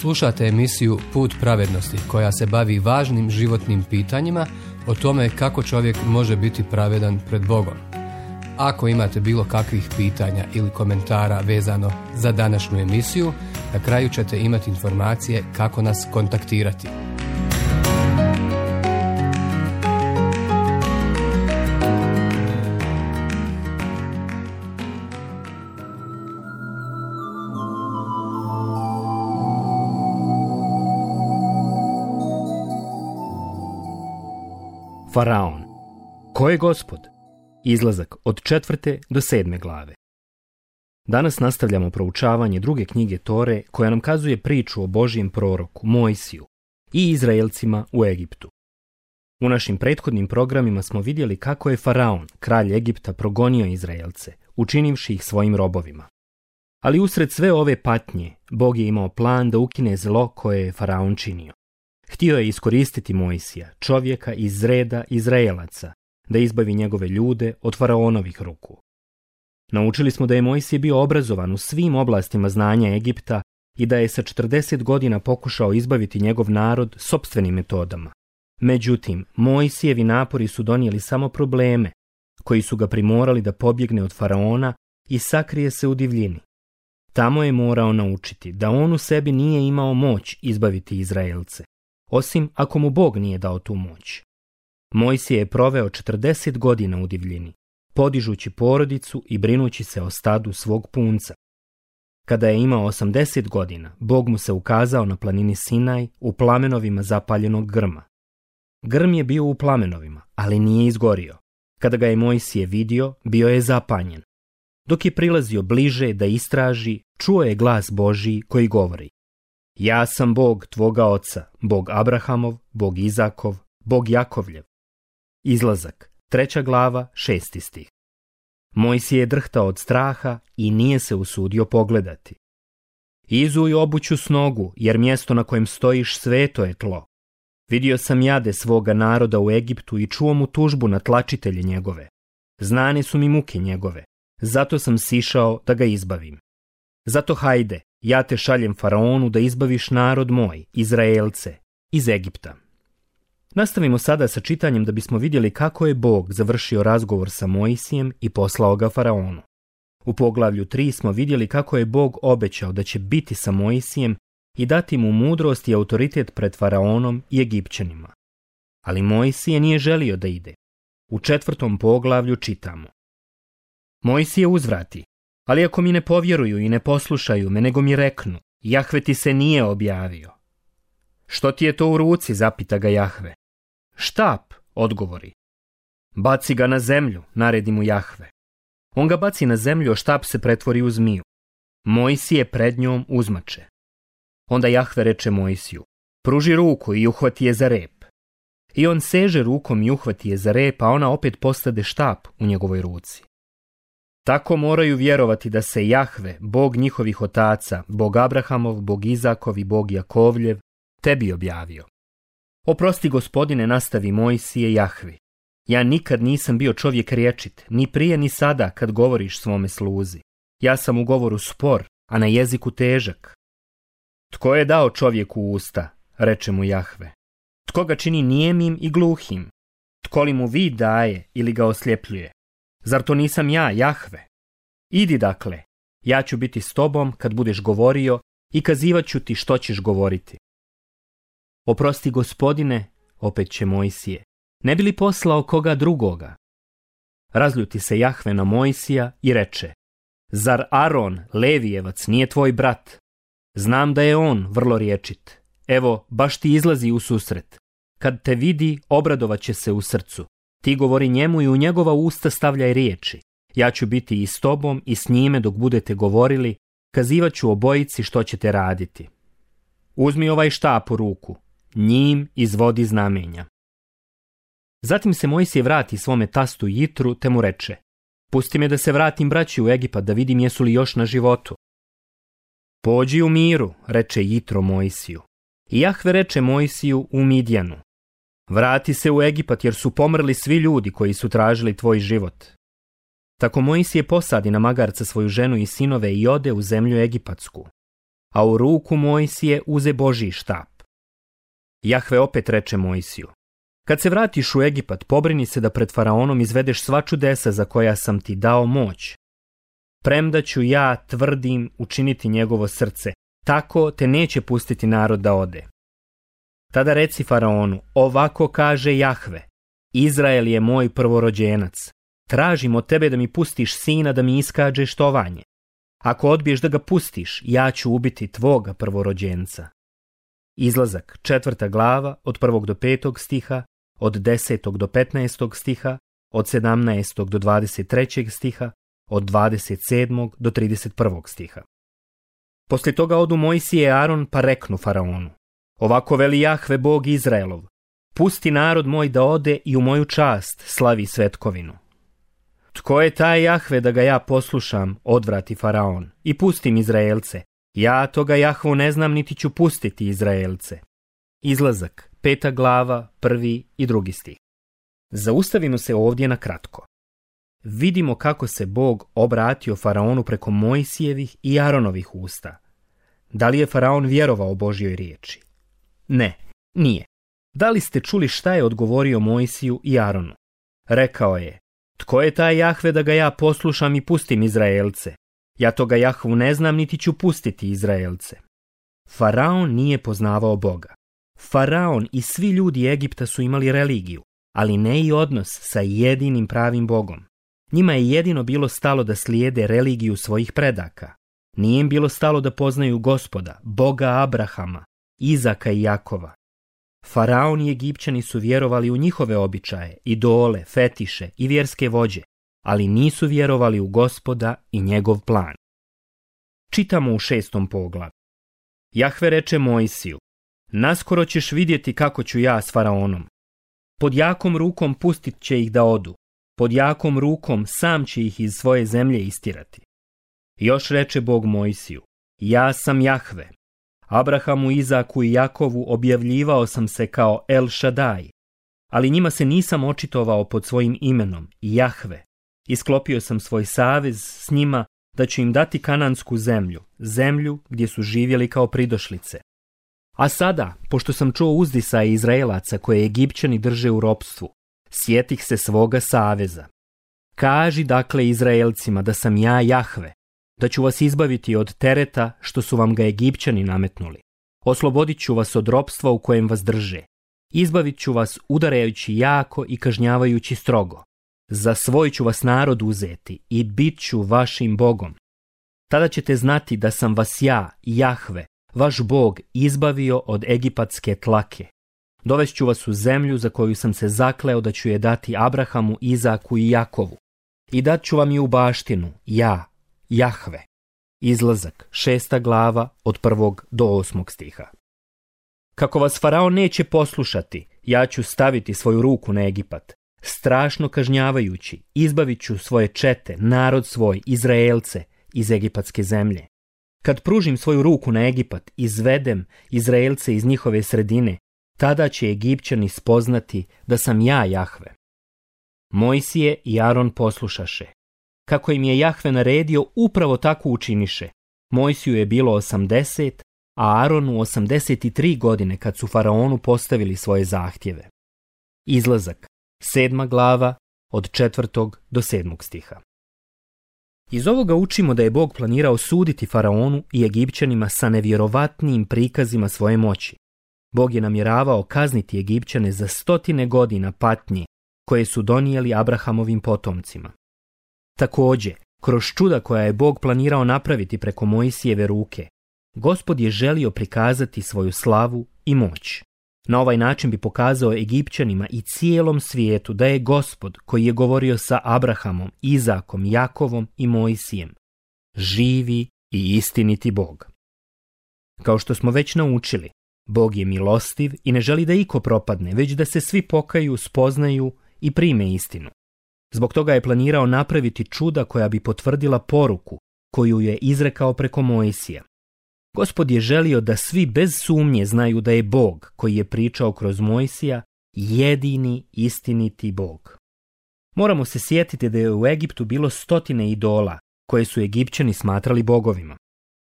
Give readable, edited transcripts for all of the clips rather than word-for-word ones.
Slušate emisiju Put pravednosti koja se bavi važnim životnim pitanjima o tome kako čovjek može biti pravedan pred Bogom. Ako imate bilo kakvih pitanja ili komentara vezano za današnju emisiju, na kraju ćete imati informacije kako nas kontaktirati. Faraon. Ko je Gospod? Izlazak od 4. do 7. glave. Danas nastavljamo proučavanje druge knjige Tore koja nam kazuje priču o Božijem proroku Mojsiju i Izraelcima u Egiptu. U našim prethodnim programima smo vidjeli kako je Faraon, kralj Egipta, progonio Izraelce, učinivši ih svojim robovima. Ali usred sve ove patnje, Bog je imao plan da ukine zlo koje je Faraon činio. Htio je iskoristiti Mojsija, čovjeka iz reda Izraelaca, da izbavi njegove ljude od Faraonovih ruku. Naučili smo da je Mojsije bio obrazovan u svim oblastima znanja Egipta i da je sa 40 godina pokušao izbaviti njegov narod sopstvenim metodama. Međutim, Mojsijevi napori su donijeli samo probleme, koji su ga primorali da pobjegne od Faraona i sakrije se u divljini. Tamo je morao naučiti da on u sebi nije imao moć izbaviti Izraelce, osim ako mu Bog nije dao tu moć. Mojsije je proveo 40 godina u divljini, podižući porodicu i brinući se o stadu svog punca. Kada je imao 80 godina, Bog mu se ukazao na planini Sinaj u plamenovima zapaljenog grma. Grm je bio u plamenovima, ali nije izgorio. Kada ga je Mojsije vidio, bio je zapanjen. Dok je prilazio bliže da istraži, čuo je glas Božiji koji govori: Ja sam Bog tvoga oca, Bog Abrahamov, Bog Izakov, Bog Jakovljev. Izlazak, 3. glava, 6. stih. Mojsije je drhtao od straha i nije se usudio pogledati. Izuj obuću s nogu, jer mjesto na kojem stojiš sveto je tlo. Vidio sam jade svoga naroda u Egiptu i čuo mu tužbu na tlačitelje njegove. Znane su mi muke njegove, zato sam sišao da ga izbavim. Zato hajde, ja te šaljem Faraonu da izbaviš narod moj, Izraelce, iz Egipta. Nastavimo sada sa čitanjem da bismo vidjeli kako je Bog završio razgovor sa Mojsijem i poslao ga Faraonu. U poglavlju 3 smo vidjeli kako je Bog obećao da će biti sa Mojsijem i dati mu mudrost i autoritet pred Faraonom i Egipćanima. Ali Mojsije nije želio da ide. U 4. poglavlju čitamo: Mojsije uzvrati: Ali ako mi ne povjeruju i ne poslušaju me, nego mi reknu: Jahve ti se nije objavio. Što ti je to u ruci, zapita ga Jahve. Štap, odgovori. Baci ga na zemlju, naredi mu Jahve. On ga baci na zemlju, a štap se pretvori u zmiju. Mojsije pred njom uzmače. Onda Jahve reče Mojsiju: Pruži ruku i uhvati je za rep. I on seže rukom i uhvati je za rep, a ona opet postade štap u njegovoj ruci. Tako moraju vjerovati da se Jahve, Bog njihovih otaca, Bog Abrahamov, Bog Izakov i Bog Jakovljev, tebi objavio. Oprosti, Gospodine, nastavi Mojsije Jahvi. Ja nikad nisam bio čovjek rječit, ni prije ni sada kad govoriš svome sluzi. Ja sam u govoru spor, a na jeziku težak. Tko je dao čovjeku usta, reče mu Jahve. Tko ga čini nijemim i gluhim? Tko li mu vid daje ili ga osljepljuje? Zar to nisam ja, Jahve? Idi dakle, ja ću biti s tobom kad budeš govorio i kazivat ću ti što ćeš govoriti. Oprosti, Gospodine, opet će Mojsije, ne bi li poslao koga drugoga? Razljuti se Jahve na Mojsija i reče: Zar Aron, Levijevac, nije tvoj brat? Znam da je on vrlo rječit. Evo, baš ti izlazi u susret. Kad te vidi, obradovat će se u srcu. Ti govori njemu i u njegova usta stavljaj riječi. Ja ću biti i s tobom i s njime dok budete govorili, kazivat ću obojici što ćete raditi. Uzmi ovaj štap u ruku, njim izvodi znamenja. Zatim se Mojsije vrati svome tastu Jitru te mu reče: Pusti me da se vratim braći u Egipat da vidim jesu li još na životu. Pođi u miru, reče Jitro Mojsiju. I Jahve reče Mojsiju u Midjanu: Vrati se u Egipat jer su pomrli svi ljudi koji su tražili tvoj život. Tako Mojsije posadi na magarca svoju ženu i sinove i ode u zemlju egipatsku. a u ruku Mojsije uze Božji štap. Jahve opet reče Mojsiju: kad se vratiš u Egipat, pobrini se da pred faraonom izvedeš sva čudesa za koja sam ti dao moć. Premda ću ja, tvrdim, učiniti njegovo srce, tako te neće pustiti narod da ode. Tada reci faraonu: ovako kaže Jahve, Izrael je moj prvorođenac. Tražim od tebe da mi pustiš sina da mi iskažeš tovanje. Ako odbiješ da ga pustiš, ja ću ubiti tvoga prvorođenca. Izlazak, 4. glava, od 1. do 5. stiha, od 10. do 15. stiha, od 17. do 23. stiha, od 27. do 31. stiha. Poslije toga odu Mojsije i Aron pa reknu faraonu: ovako veli Jahve Bog Izraelov, pusti narod moj da ode i u moju čast slavi svetkovinu. Tko je taj Jahve da ga ja poslušam, odvrati faraon, i pustim Izraelce? Ja toga Jahvu ne znam, niti ću pustiti Izraelce. Izlazak, 5. glava, 1. i 2. stih. Zaustavimo se ovdje na kratko. Vidimo kako se Bog obratio faraonu preko Mojsijevih i Aronovih usta. Da li je faraon vjerovao Božjoj riječi? Ne, nije. Da li ste čuli šta je odgovorio Mojsiju i Aronu? Rekao je: tko je taj Jahve da ga ja poslušam i pustim Izraelce? Ja toga Jahvu ne znam, niti ću pustiti Izraelce. Faraon nije poznavao Boga. Faraon i svi ljudi Egipta su imali religiju, ali ne i odnos sa jedinim pravim Bogom. Njima je jedino bilo stalo da slijede religiju svojih predaka. Nije im bilo stalo da poznaju Gospoda, Boga Abrahama, Izaka i Jakova. Faraon i Egipćani su vjerovali u njihove običaje, idole, fetiše i vjerske vođe, ali nisu vjerovali u Gospoda i njegov plan. Čitamo u 6. poglavlju. Jahve reče Mojsiju: naskoro ćeš vidjeti kako ću ja s faraonom. Pod jakom rukom pustit će ih da odu, pod jakom rukom sam će ih iz svoje zemlje istirati. Još reče Bog Mojsiju: ja sam Jahve. Abrahamu, Izaku i Jakovu objavljivao sam se kao El Šadaj, ali njima se nisam očitovao pod svojim imenom, Jahve. Isklopio sam svoj savez s njima da ću im dati kanansku zemlju, zemlju gdje su živjeli kao pridošlice. A sada, pošto sam čuo uzdisaje Izraelaca koje Egipćani drže u ropstvu, sjetih se svoga saveza. Kaži dakle Izraelcima da sam ja Jahve, da ću vas izbaviti od tereta što su vam ga Egipćani nametnuli. Oslobodit ću vas od ropstva u kojem vas drže. Izbavit ću vas udarajući jako i kažnjavajući strogo. Za svoj ću vas narod uzeti i bit ću vašim Bogom. Tada ćete znati da sam vas ja, Jahve, vaš Bog, izbavio od egipatske tlake. Dovest ću vas u zemlju za koju sam se zakleo da ću je dati Abrahamu, Izaku i Jakovu. I dat ću vam je u baštinu, ja, Jahve. Izlazak, 6. glava, od 1. do 8. stiha. Kako vas faraon neće poslušati, ja ću staviti svoju ruku na Egipat. Strašno kažnjavajući, izbavit ću svoje čete, narod svoj, Izraelce, iz egipatske zemlje. Kad pružim svoju ruku na Egipat, izvedem Izraelce iz njihove sredine, tada će Egipćani spoznati da sam ja Jahve. Mojsije i Aron poslušaše. Kako im je Jahve naredio, upravo tako učiniše. Mojsiju je bilo 80, a Aronu 83 godine kad su faraonu postavili svoje zahtjeve. Izlazak, 7. glava, od 4. do 7. stiha. Iz ovoga učimo da je Bog planirao suditi faraonu i Egipćanima sa nevjerovatnim prikazima svoje moći. Bog je namjeravao kazniti Egipćane za 100 godina patnje koje su donijeli Abrahamovim potomcima. Također, kroz čuda koja je Bog planirao napraviti preko Mojsijeve ruke, Gospod je želio prikazati svoju slavu i moć. Na ovaj način bi pokazao Egipćanima i cijelom svijetu da je Gospod, koji je govorio sa Abrahamom, Izakom, Jakovom i Mojsijem, živi i istiniti Bog. Kao što smo već naučili, Bog je milostiv i ne želi da iko propadne, već da se svi pokaju, spoznaju i prime istinu. Zbog toga je planirao napraviti čuda koja bi potvrdila poruku koju je izrekao preko Mojsija. Gospod je želio da svi bez sumnje znaju da je Bog, koji je pričao kroz Mojsija, jedini istiniti Bog. Moramo se sjetiti da je u Egiptu bilo 100 idola koje su Egipćani smatrali bogovima.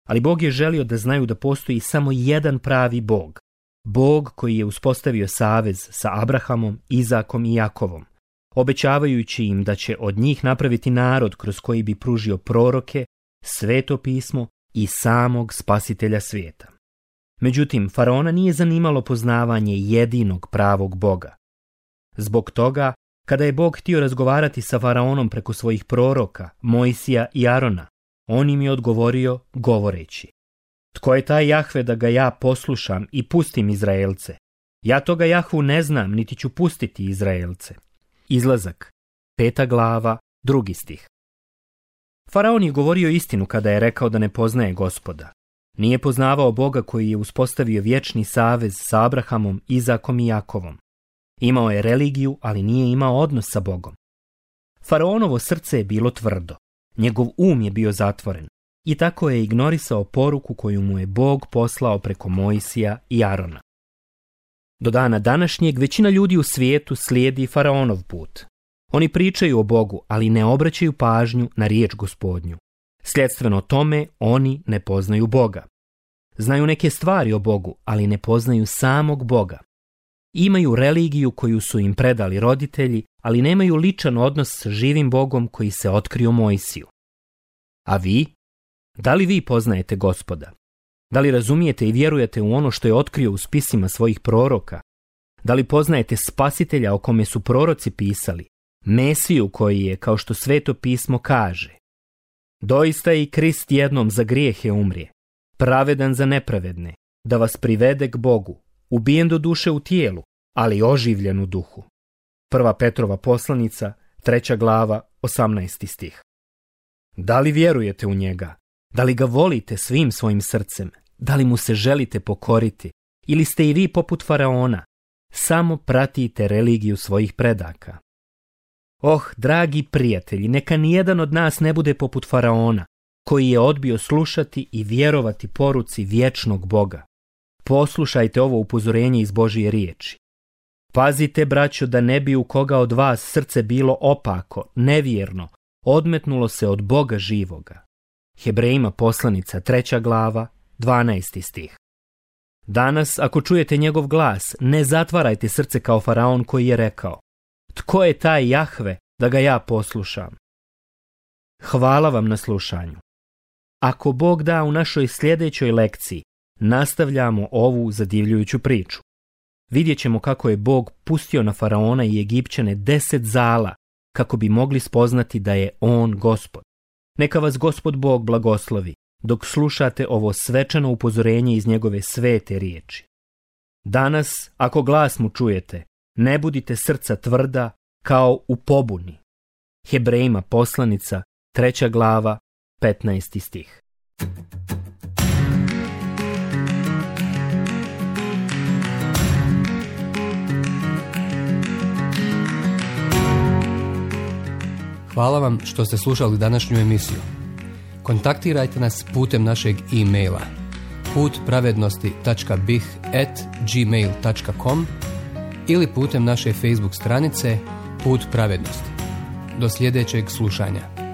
Ali Bog je želio da znaju da postoji samo jedan pravi Bog. Bog koji je uspostavio savez sa Abrahamom, Izakom i Jakovom, obećavajući im da će od njih napraviti narod kroz koji bi pružio proroke, Sveto pismo i samog Spasitelja svijeta. Međutim, faraona nije zanimalo poznavanje jedinog pravog Boga. Zbog toga, kada je Bog htio razgovarati sa faraonom preko svojih proroka, Mojsija i Arona, on im je odgovorio govoreći: Tko je taj Jahve da ga ja poslušam i pustim Izraelce? Ja toga Jahvu ne znam, niti ću pustiti Izraelce. Izlazak, 5. glava, 2. stih. Faraon je govorio istinu kada je rekao da ne poznaje Gospoda. Nije poznavao Boga koji je uspostavio vječni savez sa Abrahamom, Izakom i Jakovom. Imao je religiju, ali nije imao odnos sa Bogom. Faraonovo srce je bilo tvrdo, njegov je bio zatvoren i tako je ignorisao poruku koju mu je Bog poslao preko Mojsija i Arona. Do dana današnjeg većina ljudi u svijetu slijedi faraonov put. Oni pričaju o Bogu, ali ne obraćaju pažnju na riječ Gospodnju. Sljedstveno tome, oni ne poznaju Boga. Znaju neke stvari o Bogu, ali ne poznaju samog Boga. Imaju religiju koju su im predali roditelji, ali nemaju ličan odnos s živim Bogom koji se otkrio Mojsiju. A vi? Da li vi poznajete Gospoda? Da li razumijete i vjerujete u ono što je otkrio u spisima svojih proroka? Da li poznajete Spasitelja o kome su proroci pisali? Mesiju koji je, kao što Sveto pismo kaže: Doista i Krist jednom za grijehe umrije, pravedan za nepravedne, da vas privede k Bogu, ubijen do duše u tijelu, ali oživljen u duhu. 1. Petrova poslanica, 3. glava, 18. stih. Da li vjerujete u njega? Da li ga volite svim svojim srcem? Da li mu se želite pokoriti? Ili ste i vi poput faraona? Samo pratite religiju svojih predaka. Dragi prijatelji, neka nijedan od nas ne bude poput faraona, koji je odbio slušati i vjerovati poruci vječnog Boga. Poslušajte ovo upozorenje iz Božije riječi. Pazite, braćo, da ne bi u koga od vas srce bilo opako, nevjerno, odmetnulo se od Boga živoga. Hebrejima poslanica, 3. glava, 12. stih. Danas, ako čujete njegov glas, ne zatvarajte srce kao faraon koji je rekao: Tko je taj Jahve da ga ja poslušam? Hvala vam na slušanju. Ako Bog da, u našoj sljedećoj lekciji nastavljamo ovu zadivljujuću priču. Vidjet ćemo kako je Bog pustio na faraona i Egipćane 10 zala kako bi mogli spoznati da je on Gospod. Neka vas Gospod Bog blagoslovi dok slušate ovo svečano upozorenje iz njegove svete riječi. Danas, ako glas mu čujete, ne budite srca tvrda kao u pobuni. Hebrejima poslanica, 3. glava, 15. stih. Hvala vam što ste slušali današnju emisiju. Kontaktirajte nas putem našeg e-maila putpravednosti.bih@gmail.com ili putem naše Facebook stranice Put pravednosti. Do sljedećeg slušanja.